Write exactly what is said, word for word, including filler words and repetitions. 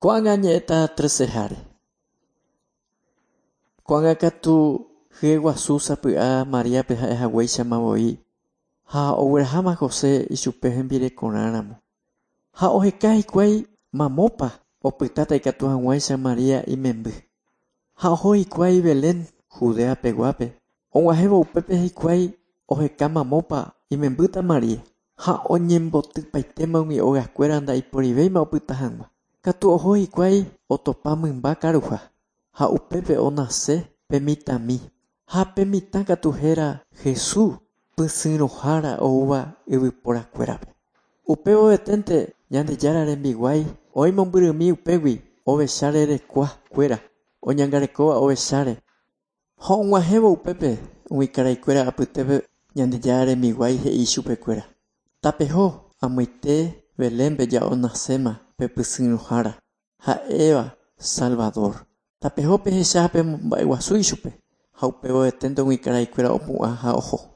Ko'ág̃a añe'ẽta treceháre. Ko'ág̃a katu hyeguasu sapy'a Mariápe ha'ehaguéichama voi ha ogueraháma José ichupe hembirekorãramo. Ha oheka hikuái mamópa opytáta ikatu hag̃uáicha Maria imemby. Ha oho hikuái Belén, Judeapeguápe. Og̃uahẽvo upépe hikuái oheka mamópa imembýta Maria ha oñembotypaitéma umi ogakuéra ndaiporivéima opyta hag̃ua. Katu oho hikuái otopa mymba karuha ha upépe onase pe mitãmi ha pe mitã katu héra Jesús pysyrõhára oúva yvyporakuérape. Upévoveténte Ñandejára rembiguái oĩ mombyrymi upégui ovecha rerekuakuéra oñangarekóva ovecháre. Ha og̃uahẽvo upépe umi karaikuéra apytépe Ñandejára rembiguái he'i chupekuéra. Tapeho amoite Belénpe ja onaséma pe pysyrõhára ha'éva Salvador. Tapeho pehecha ha pemomba'eguasu ichupe ha upévoveténte umi karaikuéra opu'ã ha oho.